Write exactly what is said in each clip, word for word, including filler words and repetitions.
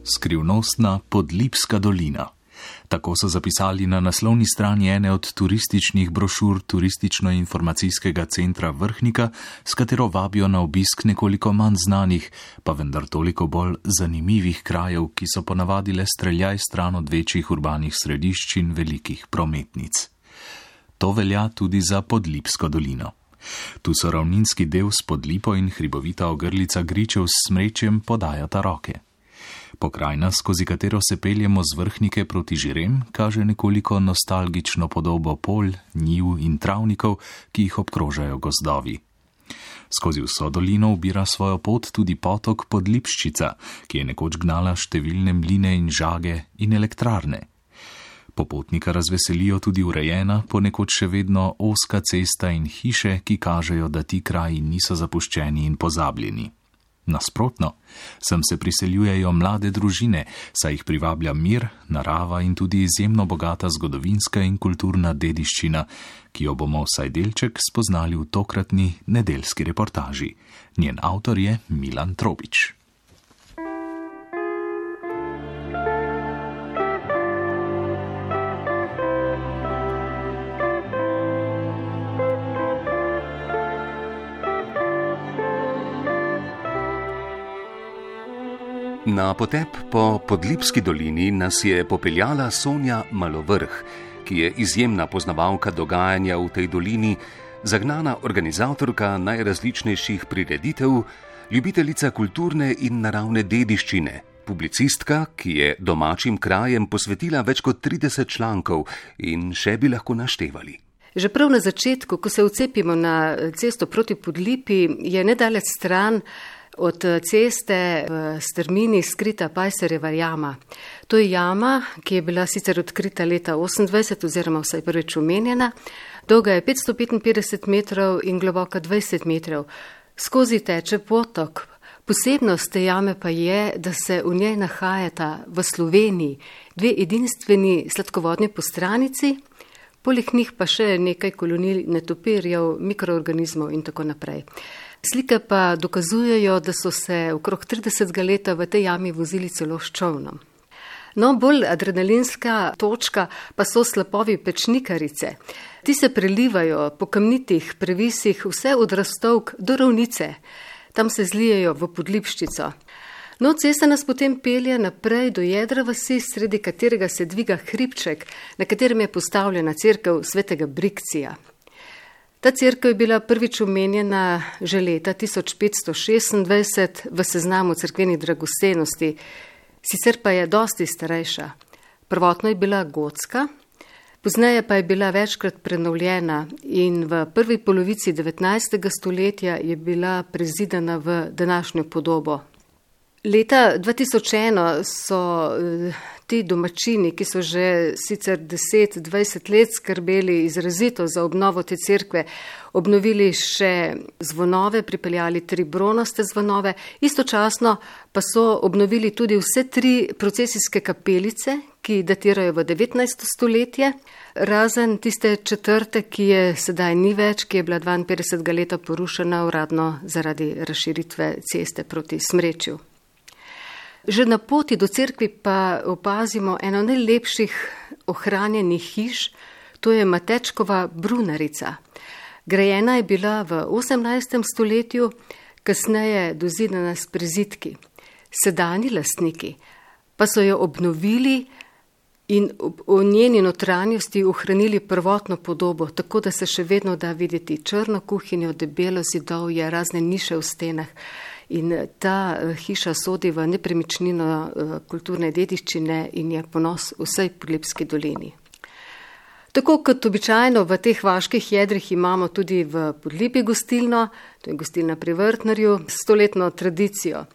Skrivnostna Podlipska dolina. Tako so zapisali na naslovni strani ene od turističnih brošur Turistično-informacijskega centra Vrhnika, s katero vabijo na obisk nekoliko manj znanih, pa vendar toliko bolj zanimivih krajev, ki so ponavadi le streljaj stran od večjih urbanih središč in velikih prometnic. To velja tudi za Podlipsko dolino. Tu so ravninski del s Podlipo in hribovita ogrlica Gričev s Smrečjem podajata roke. Pokrajina, skozi katero se peljemo z Vrhnike proti Žirem, kaže nekoliko nostalgično podobo polj, njiv in travnikov, ki jih obkrožajo gozdovi. Skozi vso dolino ubira svojo pot tudi potok Podlipščica, ki je nekoč gnala številne mline in žage in elektrarne. Popotnika razveselijo tudi urejena, ponekod še vedno ozka cesta in hiše, ki kažejo, da ti kraji niso zapuščeni in pozabljeni. Nasprotno, sem se priseljujejo mlade družine, saj jih privablja mir, narava in tudi izjemno bogata zgodovinska in kulturna dediščina, ki jo bomo vsaj delček spoznali v tokratni nedeljski reportaži. Njen avtor je Milan Trobič. Na potep po Podlipski dolini nas je popeljala Sonja Malovrh, ki je izjemna poznavalka dogajanja v tej dolini, zagnana organizatorka najrazličnejših prireditev, ljubiteljica kulturne in naravne dediščine, publicistka, ki je domačim krajem posvetila več kot trideset člankov in še bi lahko naštevali. Že prav na začetku, ko se vcepimo na cesto proti Podlipi, je nedalec stran od ceste v strmini skrita Pajserjeva jama. To je jama, ki je bila sicer odkrita leta osemindvajset oziroma vsaj prvič omenjena. Dolga je petsto petinpetdeset metrov in globoka dvajset metrov. Skozi teče potok. Posebnost te jame pa je, da se v njej nahajata v Sloveniji dve edinstveni sladkovodni postranici, poleg njih pa še nekaj kolonij netopirjev, mikroorganizmov in tako naprej. Slike pa dokazujejo, da so se okrog tridesetega leta v tej jami vozili celo s čolnom. No, bolj adrenalinska točka pa so slapovi Pečnikarice. Ti se prelivajo po kamnitih previsih vse od Rastovk do Ravnice. Tam se zlijejo v Podlipščico. No, cesta nas potem pelje naprej do jedra vasi, sredi katerega se dviga hribček, na katerem je postavljena cerkev svetega Brikcija. Ta cerkev je bila prvič omenjena že leta tisoč petsto šestindvajset v seznamu cerkvenih dragocenosti, sicer pa je dosti starejša. Prvotno je bila gotska, pozneje pa je bila večkrat prenovljena in v prvi polovici devetnajstega stoletja je bila prezidana v današnjo podobo. Leta dva tisoč eno so ti domačini, ki so že sicer deset dvajset let skrbeli izrazito za obnovo te cerkve, obnovili še zvonove, pripeljali tri bronaste zvonove, istočasno pa so obnovili tudi vse tri procesijske kapelice, ki datirajo v devetnajsto stoletje, razen tiste četrte, ki je sedaj ni več, ki je bila dvainpetdesetega leta porušena uradno zaradi razširitve ceste proti Smrečju. Že na poti do cerkvi pa opazimo eno najlepših ohranjenih hiš, to je Matečkova brunarica. Grajena je bila v osemnajstem stoletju, kasneje dozidana s prizidki. Sedanji lastniki pa so jo obnovili in v njeni notranjosti ohranili prvotno podobo, tako da se še vedno da videti črno kuhinjo, debelo zidovje, razne niše v stenah. In ta hiša sodi v nepremičnino kulturne dediščine in je ponos vsej Podlipski dolini. Tako kot običajno v teh vaških jedrih imamo tudi v Podlipi gostilno, to je gostilna pri Vrtnarju, stoletno tradicijo.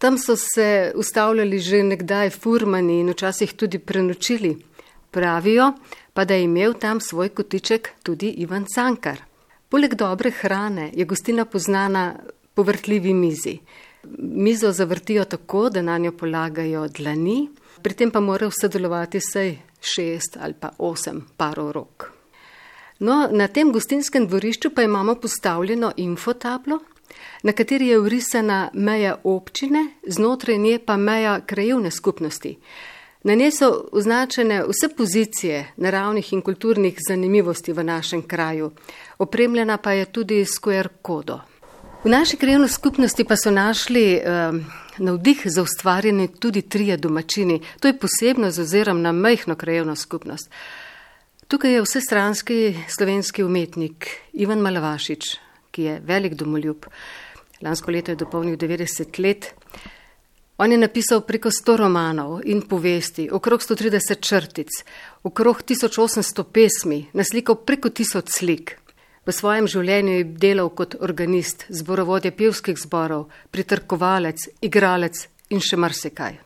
Tam so se ustavljali že nekdaj furmani in včasih tudi prenočili. Pravijo pa, da je imel tam svoj kotiček tudi Ivan Cankar. Poleg dobre hrane je gostilna poznana po vrtljivi mizi. Mizo zavrtijo tako, da na njo polagajo dlani, pri tem pa morajo sodelovati vsaj šest ali pa osem parov rok. No, na tem gostinskem dvorišču pa imamo postavljeno infotablo, na kateri je vrisana meja občine, znotraj nje pa meja krajevne skupnosti. Na njej so označene vse pozicije naravnih in kulturnih zanimivosti v našem kraju. Opremljena pa je tudi s Q R kodo. V naši krajevni skupnosti pa so našli eh, navdih za ustvarjanje tudi trije domačini. To je posebno z ozirom na majhno krajevno skupnost. Tukaj je vsestranski slovenski umetnik Ivan Malavašič, ki je velik domoljub. Lansko leto je dopolnil devetdeset let. On je napisal preko sto romanov in povesti, okrog sto trideset črtic, okrog tisoč osemsto pesmi, naslikal preko tisoč slik. V svojem življenju je delal kot organist, zborovodja pevskih zborov, pritrkovalec, igralec in še marsikaj.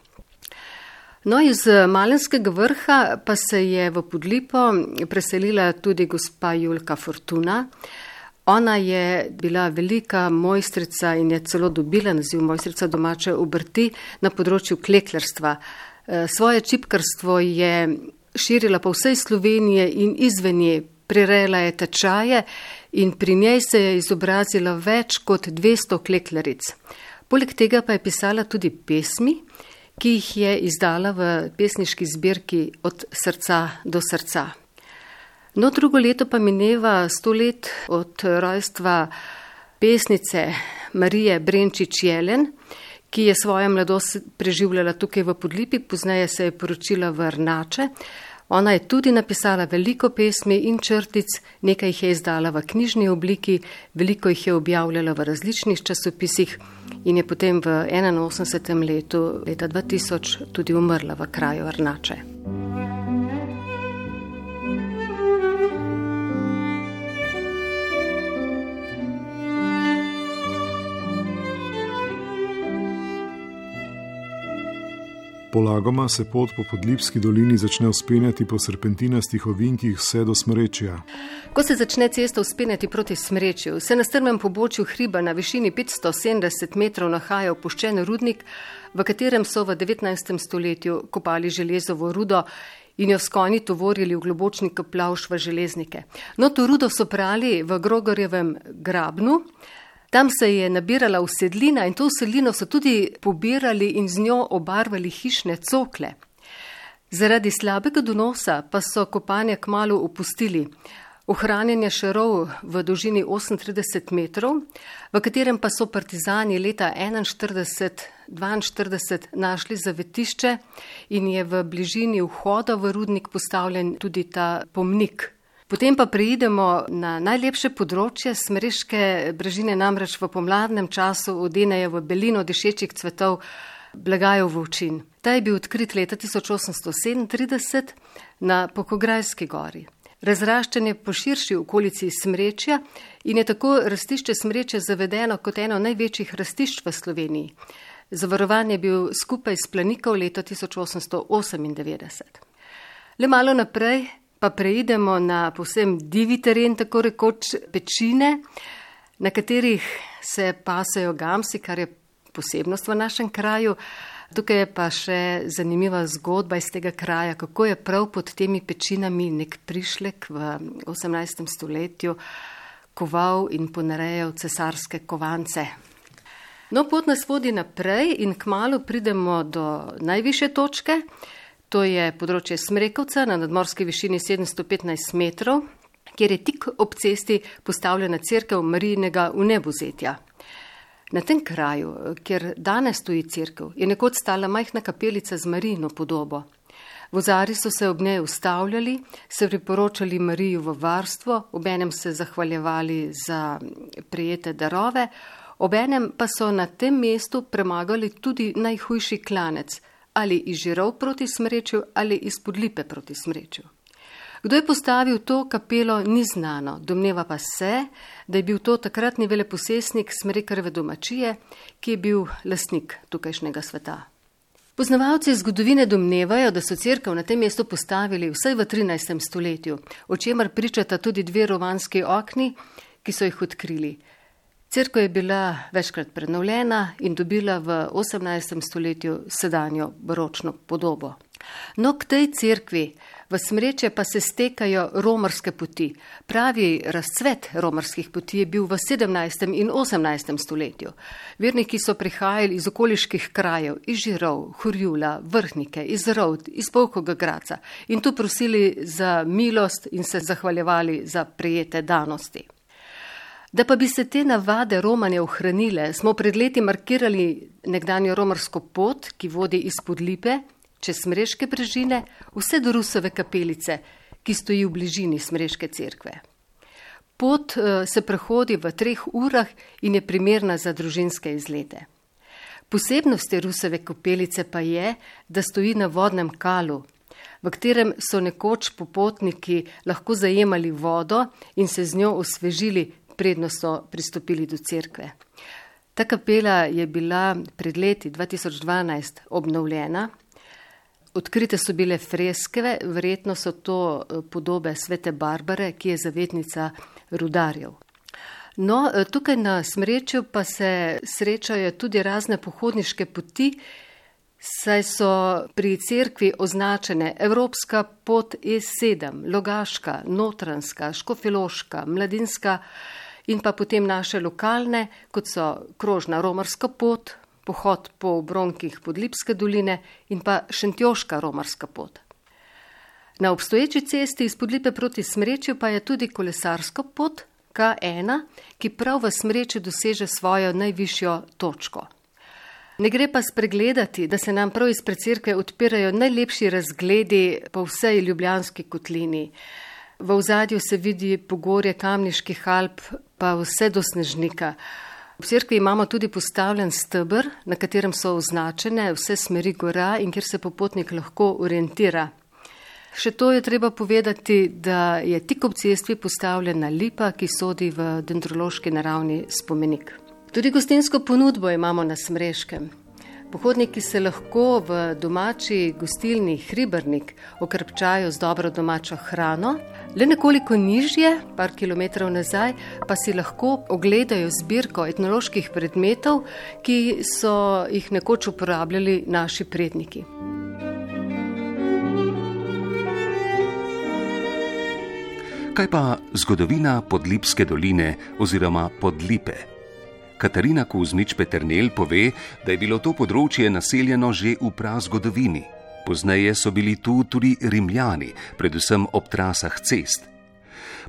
No, iz Malenskega Vrha pa se je v Podlipo preselila tudi gospa Julka Fortuna. Ona je bila velika mojstrica in je celo dobila naziv mojstrica domače obrti na področju kleklarstva. Svoje čipkarstvo je širila po vsej Sloveniji in izven nje, prirejala je tečaje in pri njej se je izobrazila več kot dvesto kleklaric. Poleg tega pa je pisala tudi pesmi, ki jih je izdala v pesniški zbirki Od srca do srca. No, drugo leto pa mineva sto let od rojstva pesnice Marije Brenčič-Jelen, ki je svojo mladost preživljala tukaj v Podlipi, pozneje se je poročila v Rnače. Ona je tudi napisala veliko pesmi in črtic, nekaj jih je izdala v knjižni obliki, veliko jih je objavljala v različnih časopisih in je potem v enainosemdesetem letu, leta dva tisoč, tudi umrla v kraju Rnače. Polagoma se pot po Podlipski dolini začne vzpenjati po serpentinastih ovinkih vse do Smrečja. Ko se začne cesta vzpenjati proti Smrečju, se na strmem pobočju hriba na višini petsto sedemdeset metrov nahaja opuščen rudnik, v katerem so v devetnajstem stoletju kopali železovo rudo in jo s konji tovorili v globočni Kaplavš v železnike. No, to rudo so prali v Grogorjevem grabnu. Tam se je nabirala usedlina in to usedlino so tudi pobirali in z njo obarvali hišne cokle. Zaradi slabega donosa pa so kopanje kmalu opustili. Ohranjanje šarov v dolžini osemintrideset metrov, v katerem pa so partizani leta enainštirideset dvainštirideset našli zavetišče in je v bližini vhoda v rudnik postavljen tudi ta pomnik. Potem pa preidemo na najlepše področje. Smreške brežine namreč v pomladnem času odenejo v belino dišečih cvetov blagajev volčin. Ta je bil odkrit leta tisoč osemsto sedemintrideset na Pokograjski gori. Razraščen je po širši okolici Smrečja in je tako rastišče Smrečja zavedeno kot eno največjih rastišč v Sloveniji. Zavarovan je bil skupaj s Planikov leta tisoč osemsto osemindevetdeset. Le malo naprej pa preidemo na povsem divi teren, tako rekoč pečine, na katerih se pasejo gamsi, kar je posebnost v našem kraju. Tukaj je pa še zanimiva zgodba iz tega kraja, kako je prav pod temi pečinami nek prišlek v osemnajstem stoletju koval in ponarejal cesarske kovance. No, pot nas vodi naprej in kmalu pridemo do najvišje točke. To je področje Smrekovca na nadmorski višini sedemsto petnajst metrov, kjer je tik ob cesti postavljena cerkev Marijinega vnebovzetja. Na tem kraju, kjer danes stoji cerkev, je nekoč stala majhna kapelica z Marijino podobo. Vozari so se ob njej ustavljali, se priporočali Mariju v varstvo, obenem se zahvaljevali za prejete darove, obenem pa so na tem mestu premagali tudi najhujši klanec, ali iz Žirov proti Smrečju ali iz Podlipe proti Smrečju. Kdo je postavil to kapelo, ni znano, domneva pa se, da je bil to takratni veleposestnik Smrekarjeve domačije, ki je bil lastnik tukajšnjega sveta. Poznavalci zgodovine domnevajo, da so cerkev na tem mestu postavili vsaj v trinajstem stoletju, o čemer pričata tudi dve rovanski okni, ki so jih odkrili. Cerkev je bila večkrat prenovljena in dobila v osemnajstem stoletju sedanjo baročno podobo. No, k tej cerkvi V Smrečje pa se stekajo romarske poti. Pravi razcvet romarskih poti je bil v sedemnajstem in osemnajstem stoletju. Verniki so prihajali iz okoliških krajev, iz Žirov, Horjula, Vrhnike, iz Rovd, iz Polhkega Graca in tu prosili za milost in se zahvaljevali za prejete danosti. Da pa bi se te navade Romanje ohranile, smo pred leti markirali nekdanjo romarsko pot, ki vodi iz Podlipe, čez Smreške brežine, vse do Rusove kapelice, ki stoji v bližini Smreške cerkve. Pot se prehodi v treh urah in je primerna za družinske izlete. Posebnost te Rusove kapelice pa je, da stoji na vodnem kalu, v katerem so nekoč popotniki lahko zajemali vodo in se z njo osvežili, predno so pristopili do cerkve. Ta kapela je bila pred leti dva tisoč dvanajst obnovljena. Odkrite so bile freske, verjetno so to podobe svete Barbare, ki je zavetnica rudarjev. No, tukaj na Smrečju pa se srečajo tudi razne pohodniške poti, saj so pri cerkvi označene Evropska pot E sedem, Logaška, Notranjska, Škofjeloška, Mladinska in pa potem naše lokalne, kot so krožna romarska pot, pohod po obronkih Podlipske doline in pa Šentjoška romarska pot. Na obstoječi cesti iz Podlipe proti Smrečju pa je tudi kolesarska pot K ena, ki prav v Smrečju doseže svojo najvišjo točko. Ne gre pa spregledati, da se nam prav izpred cerkve odpirajo najlepši razgledi po vsej Ljubljanski kotlini. V ozadju se vidi pogorje Kamniških Alp, pa vse do Snežnika. V cerkvi imamo tudi postavljen steber, na katerem so označene vse smeri gora in kjer se popotnik lahko orientira. Še to je treba povedati, da je tik ob cesti postavljena lipa, ki sodi v dendrološki naravni spomenik. Tudi gostinsko ponudbo imamo na Smreškem. Pohodniki se lahko v domači gostilni Hribernik okrepčajo z dobro domačo hrano, le nekoliko nižje, par kilometrov nazaj, pa si lahko ogledajo zbirko etnoloških predmetov, ki so jih nekoč uporabljali naši predniki. Kaj pa zgodovina Podlipske doline oziroma Podlipe? Katarina Kuzmič-Peternelj pove, da je bilo to področje naseljeno že v prazgodovini. Pozneje so bili tu tudi Rimljani, predvsem ob trasah cest.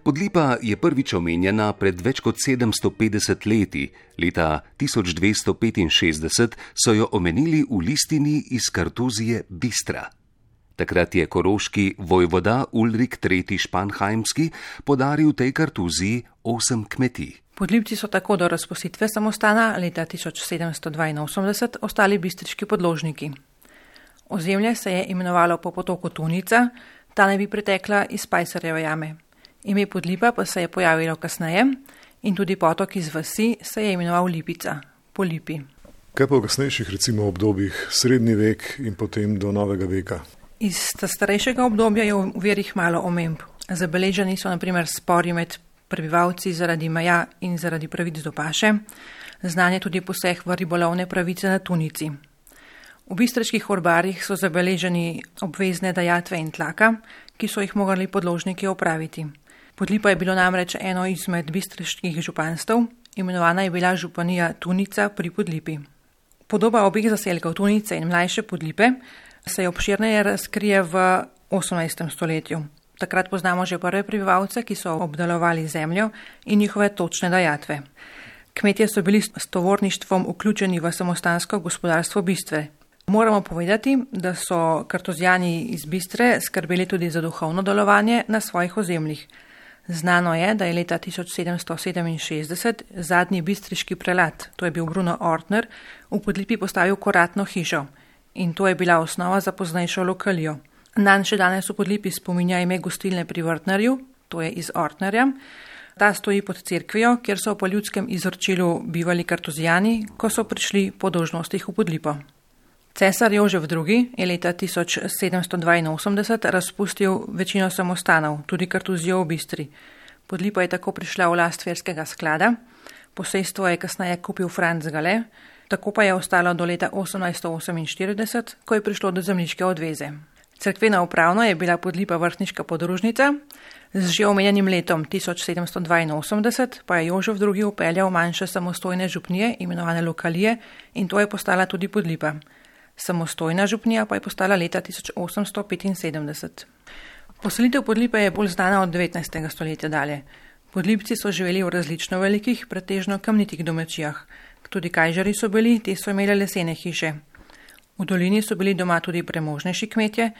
Podlipa je prvič omenjena pred več kot sedemsto petdeset leti. Leta tisoč dvesto petinšestdeset so jo omenili v listini iz Kartuzije Bistra. Takrat je koroški vojvoda Ulrik tretji Španheimski podaril tej Kartuziji osem kmetij. Podlipci so tako do razpustitve samostana leta tisoč sedemsto dvainosemdeset ostali bistriški podložniki. Ozemlje se je imenovalo po potoku Tunica, ta naj bi pretekla iz Pajserjeve jame. Ime Podlipa pa se je pojavilo kasneje in tudi potok iz vasi se je imenoval Lipica, po Lipi. Kaj pa v kasnejših recimo obdobjih, srednji vek in potem do novega veka? Iz starejšega obdobja je v verih malo omemb. Zabeleženi so na primer spori med prebivalci zaradi meja in zaradi pravic do paše, znanje tudi poseg v ribolovne pravice na Tunici. V bistriških orbarjih so zabeleženi obvezne dajatve in tlaka, ki so jih morali podložniki opraviti. Podlipa je bilo namreč eno izmed bistriških županstv, imenovana je bila županija Tunica pri Podlipi. Podoba obeh zaselkov Tunice in mlajše Podlipe se je obširneje razkrije v osemnajstem stoletju. Takrat poznamo že prve prebivalce, ki so obdelovali zemljo in njihove točne dajatve. Kmetje so bili s tovorništvom vključeni v samostansko gospodarstvo Bistve. Moramo povedati, da so Kartuzijani iz Bistre skrbeli tudi za duhovno delovanje na svojih ozemljih. Znano je, da je leta tisoč sedemsto sedeminšestdeset zadnji bistriški prelat, to je bil Bruno Ortner, v Podlipi postavil koratno hišo in to je bila osnova za poznejšo lokalijo. Nanj še danes v Podlipi spominja ime gostilne pri Vrtnerju, to je iz Ortnerja. Ta stoji pod cerkvijo, kjer so po ljudskem izročilu bivali Kartuzijani, ko so prišli po dolžnostih v Podlipo. Cesar Jožef drugi je leta tisoč sedemsto dvainosemdeset razpustil večino samostanov, tudi Kartuzijo v Bistri. Podlipa je tako prišla v last verskega sklada, posestvo je kasneje kupil Franc Gale, tako pa je ostalo do leta osemnajsto oseminštirideset, ko je prišlo do zemljiške odveze. Cerkvena upravno je bila Podlipa vrhniška podružnica, z že omenjenim letom tisoč sedemsto dvainosemdeset pa je Jožef drugi upeljal manjše samostojne župnije, imenovane lokalije, in to je postala tudi Podlipa. Samostojna župnija pa je postala leta tisoč osemsto petinsedemdeset. Poselitev Podlipe je bolj znana od devetnajstega stoletja dalje. Podlipci so živeli v različno velikih, pretežno kamnitih domačijah. Tudi kajžari so bili, te so imeli lesene hiše. V dolini so bili doma tudi premožnejši kmetje,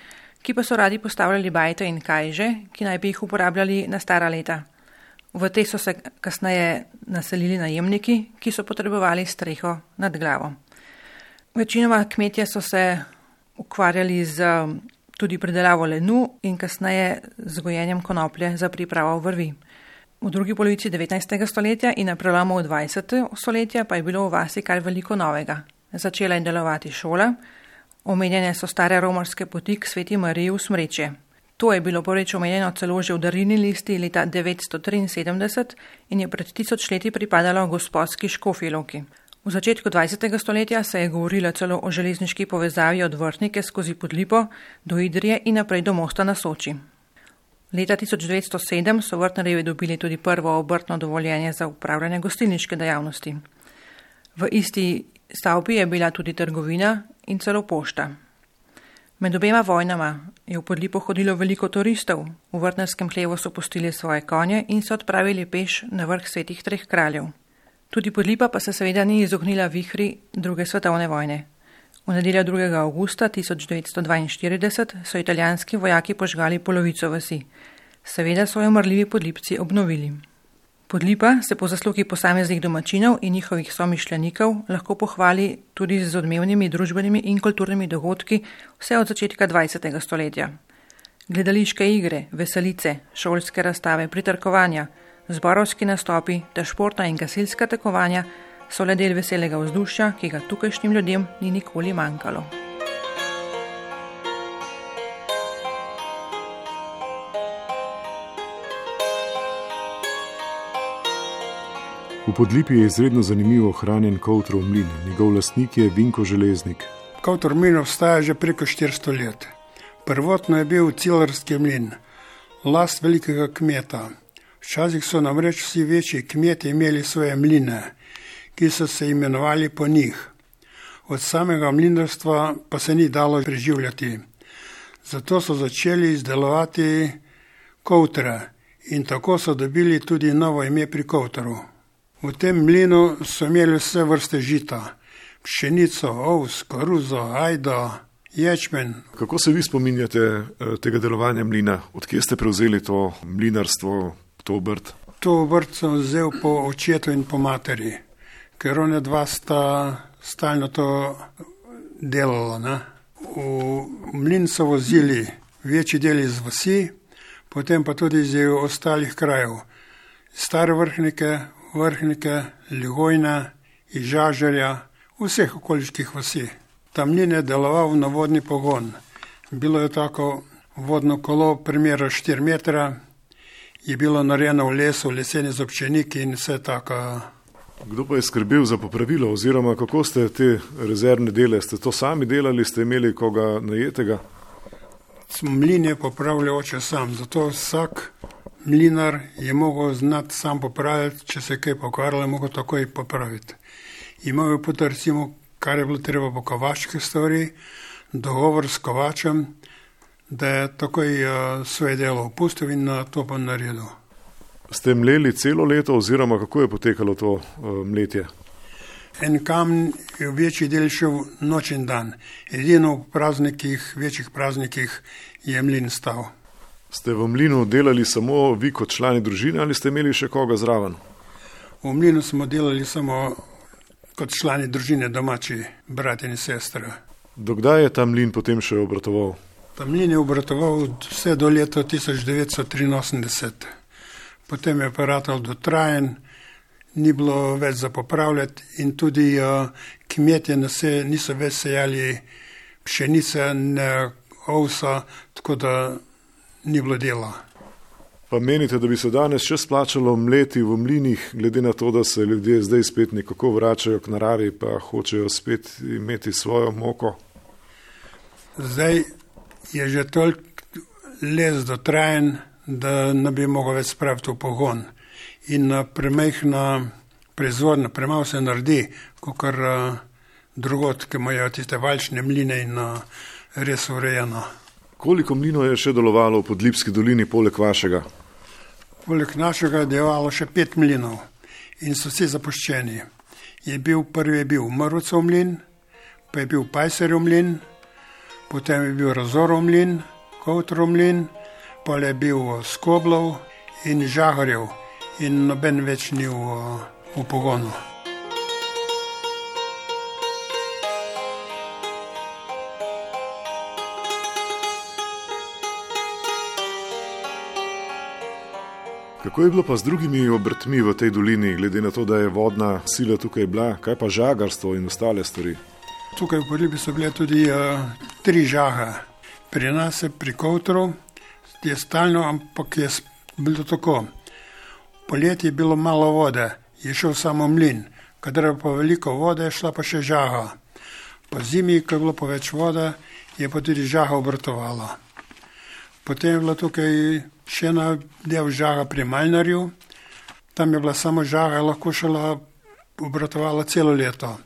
ki pa so radi postavljali bajte in kajže, ki naj bi jih uporabljali na stara leta. V te so se kasneje naselili najemniki, ki so potrebovali streho nad glavo. Večinoma kmetje so se ukvarjali z tudi pridelavo lenu in kasneje z gojenjem konoplje za pripravo vrvi. V drugi polovici devetnajstega stoletja in na prelomu dvajsetega stoletja pa je bilo v vasi kar veliko novega. Začela je delovati šola, omenjene so stare romarske poti k Sveti Mariji v Smrečje. To je bilo prvič omenjeno celo že v darilni listi leta devetsto triinsedemdeset in je pred tisoč leti pripadalo gospodski Škofji Loki. V začetku dvajsetega stoletja se je govorilo celo o železniški povezavi od Vrhnike skozi Podlipo do Idrije in naprej do mosta na Soči. Leta tisoč devetsto sedem so vrtnarjevi dobili tudi prvo obrtno dovoljenje za upravljanje gostilniške dejavnosti. V isti stavbi je bila tudi trgovina in celo pošta. Med obema vojnama je v Podlipo hodilo veliko turistov, v vrtnarskem hlevu so pustili svoje konje in se odpravili peš na vrh Svetih treh kraljev. Tudi Podlipa pa se seveda ni izognila vihri druge svetovne vojne. V nedeljo drugega avgusta tisoč devetsto dvainštirideset so italijanski vojaki požgali polovico vasi. Seveda so jo marljivi Podlipci obnovili. Podlipa se po zaslugi posameznih domačinov in njihovih somišljenikov lahko pohvali tudi z odmevnimi družbenimi in kulturnimi dogodki vse od začetka dvajsetega stoletja. Gledališke igre, veselice, šolske razstave, pritrkovanja, zborovski nastopi ter športna in gasilska tekmovanja so le del veselega vzdušja, ki ga tukajšnjim ljudem ni nikoli manjkalo. V Podlipi je izredno zanimivo ohranjen Kovtrov mlin. Njegov lastnik je Vinko Železnik. Kovtrov mlin obstaja že preko štiristo let. Prvotno je bil cilarski mlin, last velikega kmeta. Včasih so namreč vsi večji kmetje imeli svoje mline, ki so se imenovali po njih. Od samega mlinarstva pa se ni dalo preživljati. Zato so začeli izdelovati kovtre in tako so dobili tudi novo ime pri Kovtru. V tem mlinu so imeli vse vrste žita, pšenico, ovs, koruzo, ajdo, ječmen. Kako se vi spominjate tega delovanja mlina? Odkje ste prevzeli to mlinarstvo, to obrt? To obrt sem vzel po očetu in po materi, ker one dva sta stalno to delala. Ne? V mlin so vozili večji del iz vasi, potem pa tudi iz ostalih krajev. Stare Vrhnike, Vrhnike, Ligojne, iz Žažerja, vseh okoliških vasi. Ta mlin je deloval na vodni pogon. Bilo je tako vodno kolo, primera štiri metra, je bilo narejeno v lesu, leseni zobčeniki in vse tako. Kdo pa je skrbel za popravilo oziroma kako ste te rezervne dele? Ste to sami delali, ste imeli koga najetega? Mlin je popravljal oče sam, zato vsak mlinar je mogel znati sam popraviti, če se je kaj pokvarilo, je mogel takoj popraviti. Imel je potem recimo, kar je bilo treba po kovački stvari, dogovor s kovačem, da je takoj uh, svoje delo opustil in uh, to pa naredil. Ste mleli celo leto oziroma kako je potekalo to uh, mletje? En kamen je v večji del šel noč in dan. Edino v praznikih, večjih praznikih je mlin stal. Ste v mlinu delali samo vi kot člani družine ali ste imeli še koga zraven? V mlinu smo delali samo kot člani družine, domači brat in sestra. Dokdaj je ta mlin potem še obratoval? Ta mlin je obratoval vse do leta tisoč devetsto triinosemdeset. Potem je aparatal dotrajen, ni bilo več za popravljati in tudi uh, kmetje se, niso več sejali pšenice, ne ovsa, tako da ni bilo dela. Pa menite, da bi se danes še splačalo mleti v mlinih, glede na to, da se ljudje zdaj spet nekako vračajo k naravi, pa hočejo spet imeti svojo moko? Zdaj je že toliko les dotrajen, da ne bi mogel več spraviti v pogon. In premehna proizvodnja, premalo se naredi, kakor drugot, ki imajo tiste valčne mline in res urejeno. Koliko mlinov je še delovalo v Podlipski dolini poleg vašega? Poleg našega je delovalo še pet mlinov in so vsi zapuščeni. Je bil, prvi je bil Mrvcov mlin, pa je bil Pajserjev mlin, potem je bil Razorov mlin, Kovtrov mlin, pa je bil Skoblov in Žaharjev in noben več ni v, v pogonu. Kako je bilo pa z drugimi obrtmi v tej dolini, glede na to, da je vodna sila tukaj bila, kaj pa žagarstvo in ostale stvari? Tukaj v Podlipi so bile tudi uh, tri žaga. Pri nas je pri Kovtru je stalno, ampak je bilo tako. Poleti je bilo malo vode, je šel samo mlin, kadar je pa veliko vode, je šla pa še žaga. Po zimi, ko je bilo pa več vode, je pa tudi žaga obratovala. Potem je bila tukaj še ena del žaga pri Malnarju, tam je bila samo žaga, lahko šla obratovala celo leto.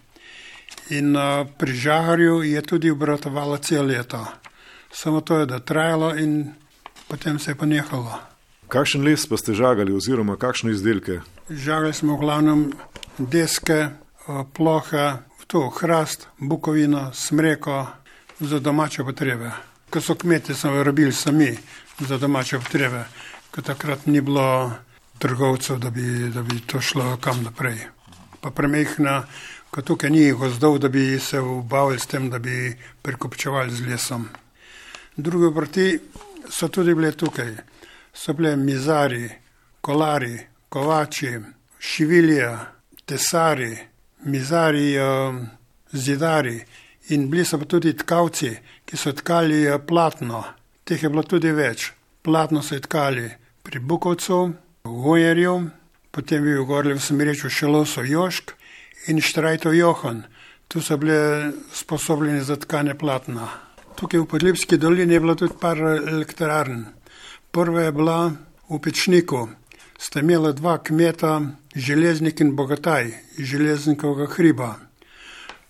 In uh, pri Žaharju je tudi obratovala celo leto. Samo to je da trajalo in potem se je pa nehalo. Kakšen les pa ste žagali oziroma kakšne izdelke? Žagali smo v glavnem deske, plohe, to hrast, bukovino, smreko za domače potrebe. Ko so kmetje smo rabili sami za domače potrebe, ko takrat ni bilo trgovcev, da bi, da bi to šlo kam naprej. Pa premehna, ko tukaj ni gozdov, da bi se ubavili s tem, da bi prekopčevali z lesom. Druge obrti so tudi bile tukaj. So bile mizari, kolari, kovači, šivilija, tesari, mizari, zidari in bili so pa tudi tkavci, ki so tkali platno. Teh je bilo tudi več. Platno so tkali pri Bukovcu, v Gojerju, potem bi v Gorlju v Smereču Šelosov Jošk in Štrajtov Johan. Tu so bile sposobljeni za tkanje platna. Tukaj v Podlipski dolini je bilo tudi par elektrarn. Prva je bila v Pečniku. Sta imela dva kmeta, Železnik in Bogataj, iz Železnikovega hriba.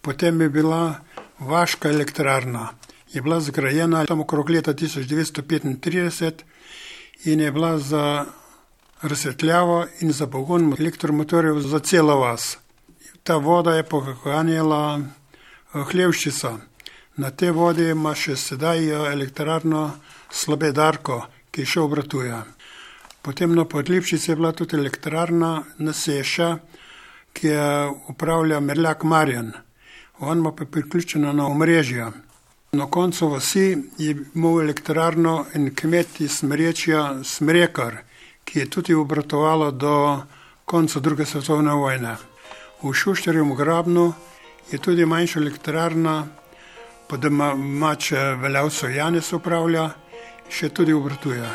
Potem je bila vaška elektrarna. Je bila zgrajena tam okrog leta tisoč devetsto petintrideset in je bila za razsvetljavo in za pogon elektromotorjev za celo vas. Ta voda je poganjala Hlevščica. Na te vode ima še sedaj elektrarno Slabe Darko, ki še obratuje. Potem na Podlipčici je bila tudi elektrarna Naseša, ki je upravlja Merljak Marjan. On ima pa priključena na omrežja. Na koncu vasi je imel elektrarno in kmet iz Smerečja Smrekar, ki je tudi obratovalo do konca druge svetovne vojne. V Šušterjem Grabnu je tudi manjša elektrarna, pa da mač Veljavco Janez upravlja, še tudi obratuje.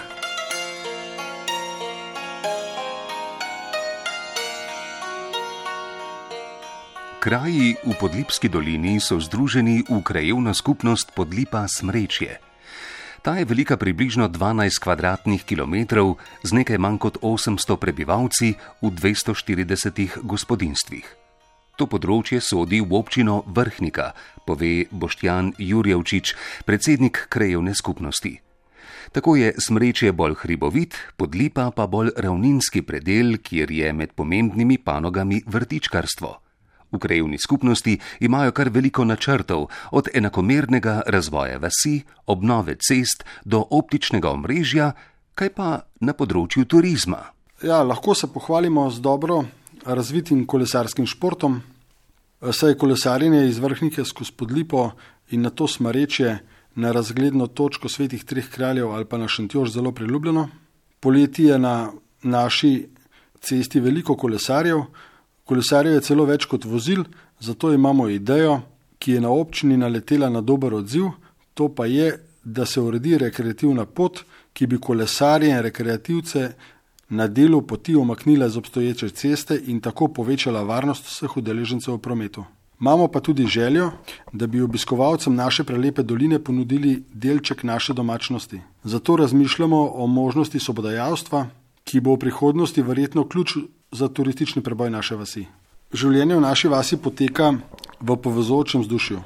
Kraji v Podlipski dolini so združeni v krajevno skupnost Podlipa Smrečje. Ta je velika približno dvanajst kvadratnih kilometrov z nekaj manj kot osemsto prebivalci v dvesto štiridesetih gospodinjstvih. To področje sodi v občino Vrhnika, pove Boštjan Jurjevčič, predsednik krajevne skupnosti. Tako je Smrečje bolj hribovit, Podlipa pa bolj ravninski predel, kjer je med pomembnimi panogami vrtičkarstvo. V krajevni skupnosti imajo kar veliko načrtov, od enakomernega razvoja vasi, obnove cest do optičnega omrežja, kaj pa na področju turizma. Ja, lahko se pohvalimo z dobro razvitim kolesarskim športom, saj je kolesarjenje iz Vrhnike skozi Podlipo in na to Smrečje na razgledno točko Svetih treh kraljev ali pa na Šentjož zelo priljubljeno. Poleti je na naši cesti veliko kolesarjev, kolesarjev je celo več kot vozil, zato imamo idejo, ki je na občini naletela na dober odziv, to pa je, da se uredi rekreativna pot, ki bi kolesarje in rekreativce na delu poti omaknila z obstoječe ceste in tako povečala varnost vseh udeležencev v prometu. Imamo pa tudi željo, da bi obiskovalcem naše prelepe doline ponudili delček naše domačnosti. Zato razmišljamo o možnosti sobodajalstva, ki bo v prihodnosti verjetno ključ za turistični preboj naše vasi. Življenje v naši vasi poteka v povezujočem vzdušju,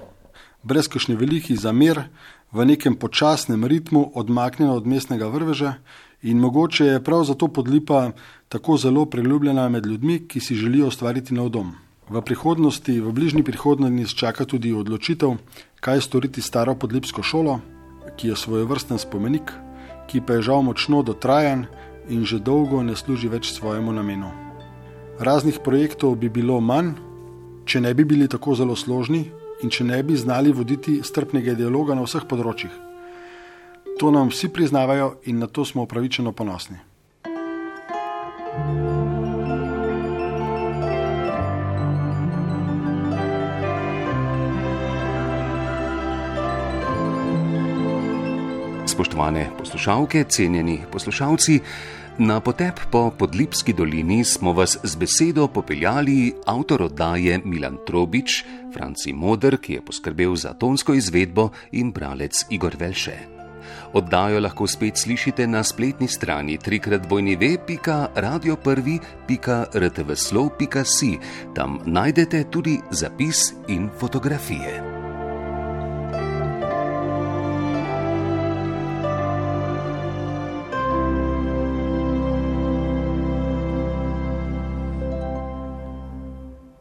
brez kakšnih velikih zamer, v nekem počasnem ritmu, odmaknjeno od mestnega vrveža, in mogoče je prav zato Podlipa tako zelo priljubljena med ljudmi, ki si želijo ustvariti nov dom. V prihodnosti, v bližnji prihodnosti nas čaka tudi odločitev, kaj storiti s staro podlipsko šolo, ki je svojevrsten spomenik, ki pa je žal močno dotrajan in že dolgo ne služi več svojemu namenu. Raznih projektov bi bilo manj, če ne bi bili tako zelo složni in če ne bi znali voditi strpnega dialoga na vseh področjih. To nam vsi priznavajo in na to smo upravičeno ponosni. Spoštovane poslušalke, cenjeni poslušalci, na potep po Podlipski dolini smo vas z besedo popeljali avtor oddaje Milan Trobič, Franci Moder, ki je poskrbel za tonsko izvedbo, in bralec Igor Velše. Oddajo lahko spet slišite na spletni strani trikrat w w w pika radio prvi pika r t v slov pika si. Tam najdete tudi zapis in fotografije.